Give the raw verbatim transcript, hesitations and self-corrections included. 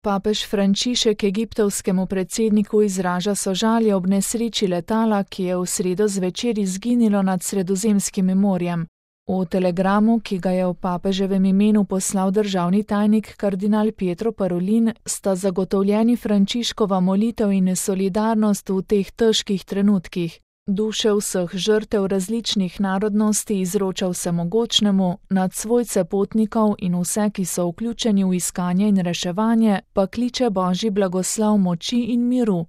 Papež Frančišek egiptovskemu predsedniku izraža sožalje ob nesreči letala, ki je v sredo zvečer izginilo nad Sredozemskim morjem. V telegramu, ki ga je v papeževem imenu poslal državni tajnik kardinal Pietro Parolin, sta zagotovljeni Frančiškova molitev in solidarnost v teh težkih trenutkih. Duše vseh žrtev različnih narodnosti izroča vsemogočnemu, nad svojce potnikov in vse, ki so vključeni v iskanje in reševanje, pa kliče Božji blagoslov moči in miru.